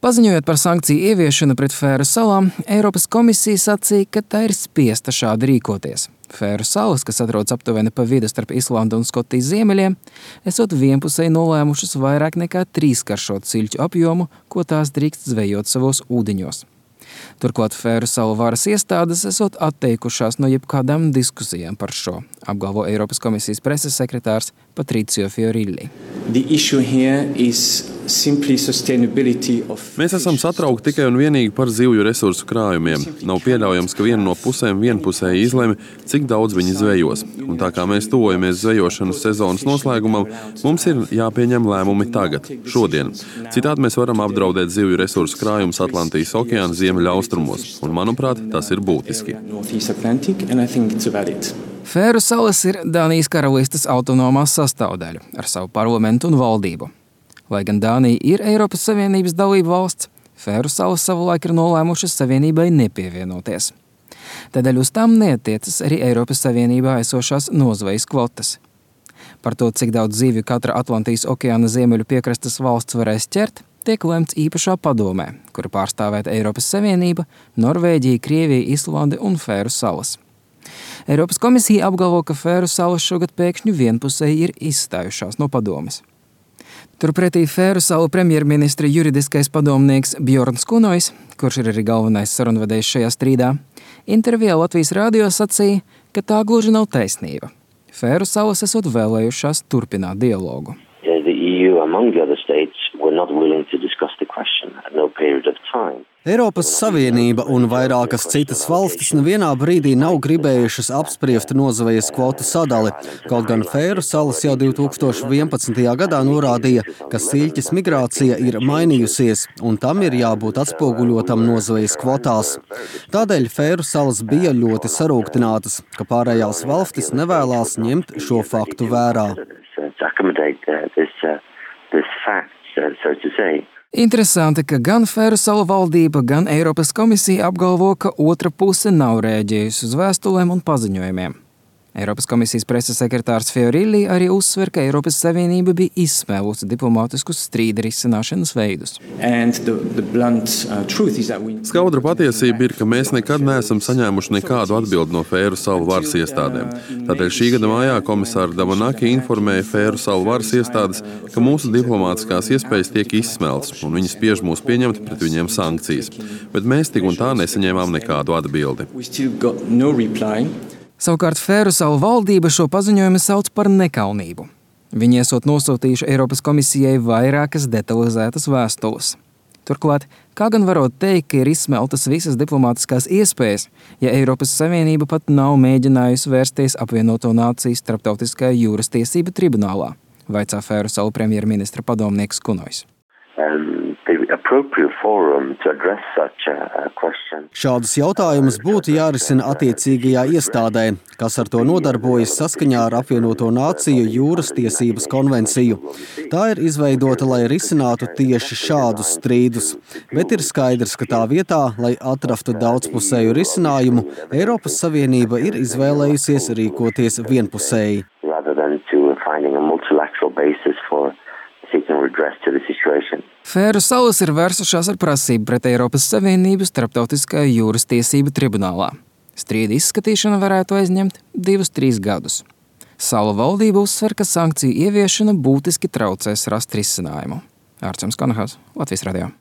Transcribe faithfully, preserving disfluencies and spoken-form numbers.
Paziņojot par sankciju ieviešanu pret Fēru salām, Eiropas komisija sacīja, ka tā ir spiesta šādi rīkoties. Fēru salas, kas atrodas aptuveni pa vidu starp Islandu un Skotijas ziemeļiem, esot vienpusēji nolēmušas vairāk nekā trīskaršot siļķu apjomu, ko tās drīkst zvejot savos ūdeņos. Turklāt Fēru salu varas iestādes esot atteikušās no jebkādām diskusijām par šo, apgalvo Eiropas komisijas preses sekretārs Patricio Fiorilli. Mēs esam satraukti tikai un vienīgi par zivju resursu krājumiem. Nav pieļaujams, ka viena no pusēm vienpusēji izlemj, cik daudz viņi zvejos. Un tā kā mēs tuvojamies zvejošanas sezonas noslēgumam, mums ir jāpieņem lēmumi tagad, šodien. Citādi mēs varam apdraudēt zivju resursu krājumus Atlantijas okeāna ziemeļa austrumos. Un, manuprāt, tas ir būtiski. Fēru salas ir Dānijas karalistes autonomās sastāvdaļa ar savu parlamentu un valdību. Lai gan Dānija ir Eiropas Savienības dalība valsts, Fēru salas savulaik ir nolēmušas Savienībai nepievienoties. Tādēļ uz tām neatiecas arī Eiropas Savienībā esošās nozvejas kvotas. Par to, cik daudz zivju katra Atlantijas okeāna ziemeļu piekrastes valsts varēs ķert, tiek lemts īpašā padomē, kura pārstāvēt Eiropas Savienība, Norvēģija, Krievija, Islande un Fēru salas. Eiropas komisija apgalvo, ka Fēru salas šogad pēkšņi vienpusēji ir izstājušās no padomes. Turpretī Fēru salu premjerministra juridiskais padomnieks Bjorns Kunojs, kurš ir arī galvenais sarunvedējs šajā strīdā, intervijā Latvijas radio sacīja, ka tā gluži nav taisnība. Fēru salas esot vēlējušās turpināt dialogu. Eiropas Savienība un vairākas citas valstis nevienā brīdī nav gribējušas apspriest nozvejas kvotu sadali, kaut gan Fēru salas jau divi tūkstoši vienpadsmitajā gadā norādīja, ka siļķes migrācija ir mainījusies un tam ir jābūt atspoguļotam nozvejas kvotās. Tādēļ Fēru salas bija ļoti sarūktinātas, ka pārējās valstis nevēlās ņemt šo faktu vērā. Interesanti, ka gan Fēru salu valdība, gan Eiropas komisija apgalvo, ka otra puse nav rēģējusi uz vēstulēm un paziņojumiem. Eiropas komisijas preses sekretārs Fiorilli arī uzsver, ka Eiropas Savienība bija izsmēlusi diplomātiskus strīda risināšanas veidus. The, the blunt, uh, we... Skaudra patiesība ir, ka mēs nekad neesam saņēmuši nekādu atbildi no Fēru salu varas iestādēm. Tādēļ šī gada mājā komisāra Damanaki informēja Fēru salu varas iestādes, ka mūsu diplomātiskās iespējas tiek izsmeltas un viņi spiež mūs pieņemt pret viņiem sankcijas. Bet mēs tik un tā nesaņēmām nekādu atbildi. Savukārt Fēru salu valdība šo paziņojumu sauc par nekaunību. Viņi esot nosūtījuši Eiropas komisijai vairākas detalizētas vēstules. Turklāt, kā gan varot teikt, ka ir izsmeltas visas diplomātiskās iespējas, ja Eiropas Savienība pat nav mēģinājusi vērsties apvienoto nāciju starptautiskajā jūras tiesību tribunālā, vaicā Fēru salu premjerministra padomnieks Kunojs. Šādus jautājumus būtu jārisina attiecīgajā iestādē, kas ar to nodarbojas saskaņā ar apvienoto nāciju jūras tiesības konvenciju. Tā ir izveidota, lai risinātu tieši šādus strīdus, bet ir skaidrs, ka tā vietā, lai atrastu daudzpusēju risinājumu, Eiropas Savienība ir izvēlējusies rīkoties vienpusēji. Fēru salas ir vērsušās ar prasību pret Eiropas Savienību starptautiskajā jūras tiesību tribunālā. Strīda izskatīšana varētu aizņemt divus, trīs gadus. Salu valdība uzsver, ka sankciju ieviešana būtiski traucēs rast risinājumu. Ārčuns Konahaus, Latvijas radio.